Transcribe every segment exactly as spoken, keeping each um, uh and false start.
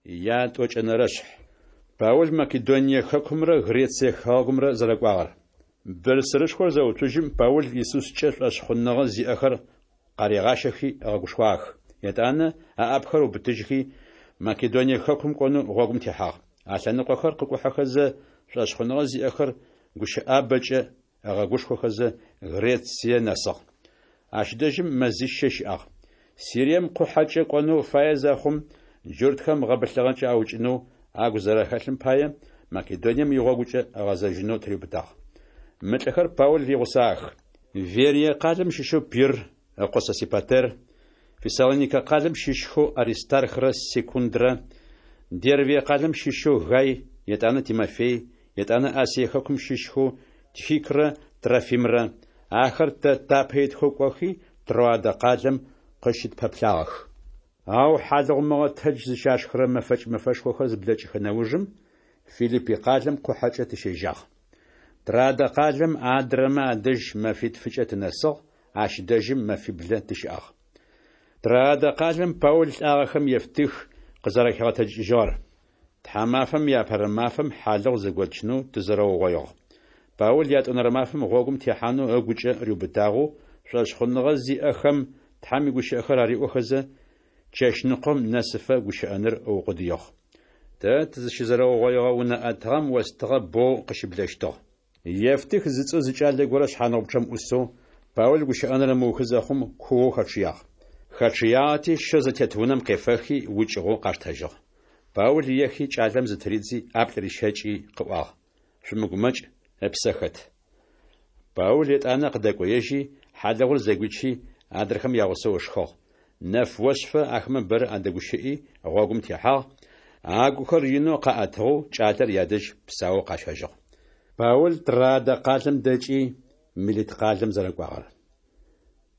Ятӏокӏэнэрэшъхь. Паул Македоние хэкумрэ Грецие хэгъэгумрэ зэрэкӏуагъэр. Бырсырышхор зэуцужьым, Паул Исускӏэ шӏошъхъуныгъэ зиӏэхэр къаригъащэхи ыгъэгушхуагъэх. Етӏанэ ыӏапэхэр ыубытыжьхи, Македоние хэкум кӏонэу гъогум техьагъ. А лъэныкъохэр къыкӏухьэхэзэ, шӏошъхъуныгъэ зиӏэхэр гущыӏабэкӏэ ыгъэгушхохэзэ, Грецие нэсыгъ. Ащ дэжьым мэзищэ щыӏагъ. Сирием къухьэкӏэ кӏонэу фае зэхъум, джуртхэм гъэбылъыгъэкӏэ аукӏынэу агу зэрэхэлъым пае, Македонием игъогукӏэ ыгъэзэжьынэу тыриубытагъ. Мы лӏыхэр Паул игъусагъэх: Верие къалэм щыщэу Пирр ыкъо Сосипатер, Фессалоникэ къалэм щыщхэу Аристархрэ Секундрэ, Дервие къалэм щыщэу Гай, етӏанэ Тимофей, етӏанэ Асие хэкум щыщхэу Тихикрэ Трофимрэ. Ахэр тэ тапэ итхэу кӏохи, Троадэ къалэм къыщытпэплъагъэх. Ау хьалыгъу мыгъэтэдж зыщашхырэ мэфэкӏ мэфэшхохэр зыблэкӏыхэ нэужым, Филиппи къалэм къухьэкӏэ тыщежьагъ. Троадэ къалэм адрэмэ адэжь мэфитфыкӏэ тынэсыгъ, ащ дэжьым мэфиблэ тыщыӏагъ. Троадэ къалэм Паул лӏагъэхэм Евтых къызэрэхигъэтэджыкӏыжьыгъэр. Тхьамафэм иапэрэ мафэм хьалыгъу зэготчынэу тызэрэугъоигъ. Паул ятӏонэрэ мафэм гъогум техьанэу ыгукӏэ риубытагъэу, шӏошъхъуныгъэ зиӏэхэм Тхьэм игущыӏэхэр ариӏохэзэ, чэщныкъом нэсыфэ гущыӏэныр ыукъудыигъ. Тэ тызщызэрэугъоигъэ унэ ӏэтыгъэм остыгъэ боу къыщыблэщтыгъ. Евтых зыцӏэу зы кӏалэ горэ шъхьаныгъупчъэм ӏусэу, Паул гущыӏэныр ымыухы зэхъум, куоу хэчъыягъ. Хэчъыягъэти, щэу зэтет унэм къефэхи, укӏыгъэу къаштэжьыгъ. Паул ехи, кӏалэм зытыридзи, ӏаплӏ рищэкӏи къыӏуагъ: «Шъумыгумэкӏ, ыпсэ хэт». Паул етӏанэ къыдэкӏоежьи, хьалыгъур зэгуичи, адрэхэм ягъусэу ышхыгъ. Нэф ошъыфэ ахэмэ бэрэ адэгущыӏи, гъогум техьагъ, агухэр инэу къаӏэтыгъэу кӏалэр ядэжь псаоу къащэжьыгъ. Паул Троадэ къалэм дэкӏи, Милит къалэм зэрэкӏуагъэр.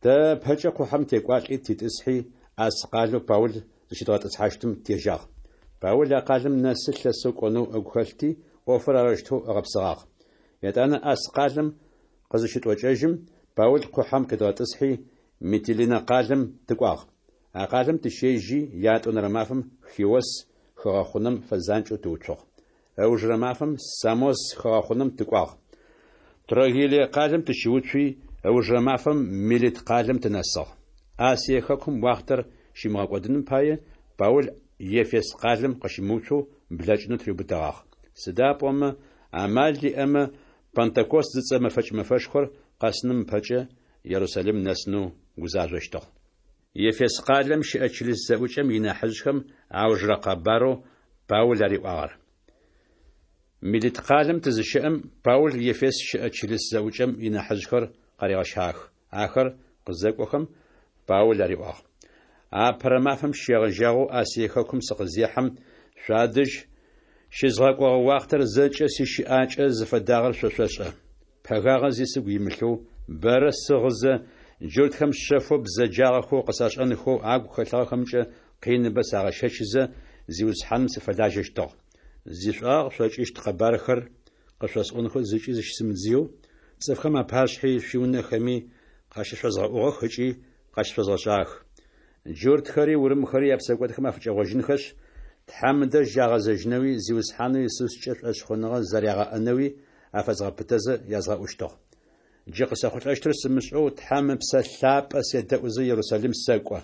Тэ ыпэкӏэ къухьэм текӏуалӏи титӏысхьи, Асс къалэу Паул зыщыдгъэтӏысхьащтым тежьагъ. Паул а къалэм нэсы лъэсэу кӏонэу ыгу хэлъти, ӏофыр арэущтэу ыгъэпсыгъагъ. Етӏанэ Асс къалэм къызыщытӏокӏэжьым, Паул къухьэм къидгъэтӏысхьи, Митилинэ къалэм тыкӏуагъ. А къалэм тыщежьи, ятӏонэрэ мафэм Хиос хыгъэхъунэм фэзанкӏэу тыуцугъ. Ыужырэ мафэм Самос хыгъэхъунэм тыкӏуагъ. Трогиллие къалэм тыщыуцуи, ыужырэ мафэм Милит къалэм тынэсыгъ. Асие хэкум уахътэр щимыгъэкӏодыным пае, Паул Ефес къалэм къыщымыуцоу блэкӏынэу тыриубытэгъагъ. Сыда пӏомэ, амал иӏэмэ, Пэнтэкост зыцӏэ мэфэкӏ мэфэшхор къэсыным ыпэкӏэ Ерусалим нэсынэу гузажъощтыгъ. Ефес къалэм щыӏэ чылыс зэӏукӏэм инахьыжъхэм аужырэ къэбарэу Паул ариӏуагъэр. Милит къалэм тызыщэӏэм, Паул Ефес щыӏэ чылыс зэӏукӏэм инахьыжъхэр къаригъэщагъэх. Ахэр къызэкӏохэм, Паул ариӏуагъ: Апэрэ мафэм щегъэжьагъэу Асие хэкум сыкъызехьэм, шъуадэжь щызгъэкӏогъэ уахътэр зэкӏэ сищыӏакӏэ зыфэдагъэр шъо шъошӏэ. Пэгагъэ зи сыгу имылъэу, бэрэ сыгъызэ, джуртхэм шъэфэу бзэджагъэхэу къысашӏэнхэу агу хэлъыгъэхэмкӏэ къиныбэ сагъэщэчызэ, Зиусхьаным сыфэлажьэщтыгъ. Зишӏуагъэ къышъокӏыщт къэбархэр къышъосӏонхэу зыкӏи зыщысымыдзыеу, цӏыфхэм апашъхьи шъуиунэхэми къащышъозгъэӏугъэх ыкӏи къащышъозгъэшӏагъэх. Джуртхэри урымхэри япсэкӏодхэм афыкӏэгъожьынхэшъ, Тхьэм ыдэжь агъэзэжьынэуи Зиусхьанэу Исускӏэ шӏошъхъуныгъэ зэрягъэӏэнэуи афэзгъэпытэзэ язгъэӏущтыгъ. Джы къысэхъулӏэщтыр сымышӏэу Тхьэм Ыпсэ Лъапӏэ седэӏузэ Ерусалим сэкӏо.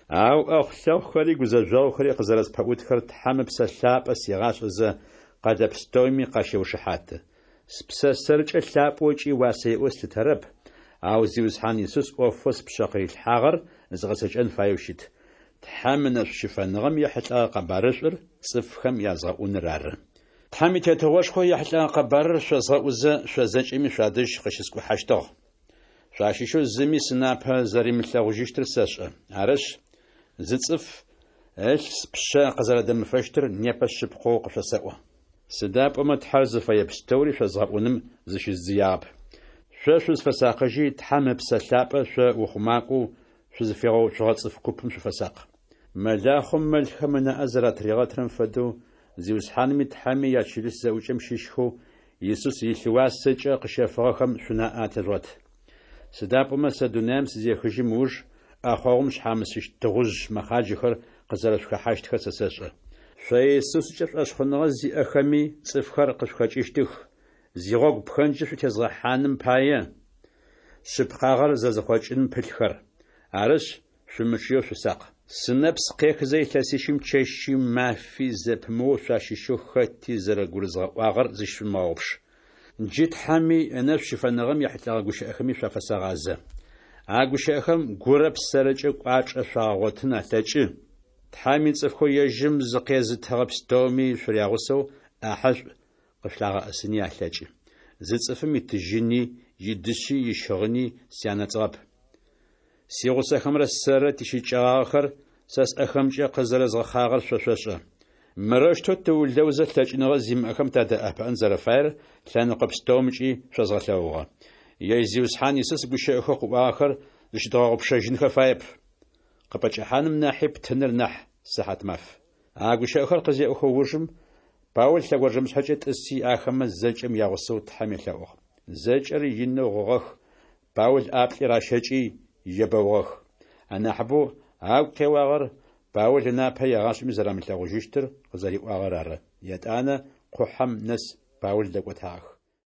Ау ӏэхъу-лъэхъухэри гузэжъогъухэри къызэрэспэӏутхэр Тхьэм Ыпсэ Лъапӏэ сигъашӏэзэ, къэлэ пстэуми къащеушыхьаты. Спсэ сэркӏэ лъапӏэу ыкӏи уасэ иӏэу слъытэрэп, ау Зиусхьан Исус ӏофэу спшъэ къырилъхьагъэр згъэцэкӏэн фаеу щыт: Тхьэм ынэшӏу щыфэныгъэм ехьылӏэгъэ къэбарышӏур цӏыфхэм язгъэӏуныр ары. Тхьэм и Тетыгъошхо ехьылӏэгъэ къэбарыр шъозгъэӏузэ, шъо зэкӏэми шъуадэжь къыщыскӏухьэщтыгъ. Шъуащыщэу зыми сынапэ зэримылъэгъужьыщтыр сэшӏэ. Арышъ, зы цӏыф ылъ спшъэ къызэрэдэмыфэщтыр непэ шъыпкъэу къышъосэӏо. Сыда пӏомэ Тхьэр зыфэе пстэури шъозгъэӏуным зыщыздзыягъэп. Шъо шъузфэсакъыжьи, Тхьэм Ыпсэ Лъапӏэ шъо ухъумакӏоу шъузыфигъэуцугъэ цӏыф купым шъуфэсакъ. Мэлахъом мэлхэм ынаӏэ зэратыригъэтырэм фэдэу, Зиусхьаными Тхьэми ячылыс зэӏукӏэм щыщхэу Исус илъ уасэкӏэ къыщэфыгъэхэм шъунаӏэ атежъугъэт. Сыда пӏомэ сэ дунаим сызехыжьым ыуж, ӏэхъогъум шъхьамысыщт тыгъужъ мэхъаджэхэр къызэрэшъухэхьащтхэр сэ сэшӏэ. Шъо Исускӏэ шӏошъхъуныгъэ зиӏэхэми цӏыфхэр къышъухэкӏыщтых, зигъогу пхэнджы шъутезгъэхьаным пае, шъыпкъагъэр зэзыхъокӏыным пылъхэр. Арышъ, шъумычъыеу шъусакъ. Сынэпс къехызэ илъэсищым чэщи мафи зэпымыоу шъуащыщэу хэти зэрэгурызгъэӏуагъэр зыщышъумыгъэгъупш. Джы Тхьэми, ынэшӏу щыфэныгъэм ехьылӏэгъэ гущыӏэхэми шъуафэсэгъазэ. А гущыӏэхэм гурэ псэрэкӏэ кӏуачӏэ шъуагъэгъотын алъэкӏы, Тхьэм ицӏыфхэу ежьым зыкъезытыгъэ пстэуми шъурягъусэу ӏахьэшӏу къышъулъагъэӏэсыни алъэкӏы. Зы цӏыфым итыжьыни, идышъи, ищыгъыни сянэцӏыгъэп. Сигъусэхэмрэ сэрырэ тищыкӏагъэхэр сэ сӏэхэмкӏэ къызэрэзгъэхъагъэр шъо шъошӏэ. Мырэущтэу тыулэузэ лъэкӏыныгъэ зимыӏэхэм тадэӏэпыӏэн зэрэфаер лъэныкъо пстэумкӏи шъозгъэлъэгъугъэ. Ежь Зиусхьан Исус гущыӏэхэу къыӏуагъэхэр зыщыдгъэгъупшэжьынхэ фаеп: «Къыпӏэкӏэхьаным нахьи птыныр нахь сыхьатмаф». А гущыӏэхэр къызеӏохэ ужым, Паул лъэгонджэмышъхьэкӏэ тӏыси, ахэмэ зэкӏэм ягъусэу Тхьэм елъэӏугъ. Зэкӏэри инэу гъыгъэх, Паул ӏаплӏи ращэкӏи, ебэугъэх. Анахьыбэу агу къеуагъэр Паул ынапэ егъашӏэми зэрамылъэгъужьыщтыр къызэриӏуагъэр ары. Етӏанэ къухьэм нэс Паул дэкӏотагъэх.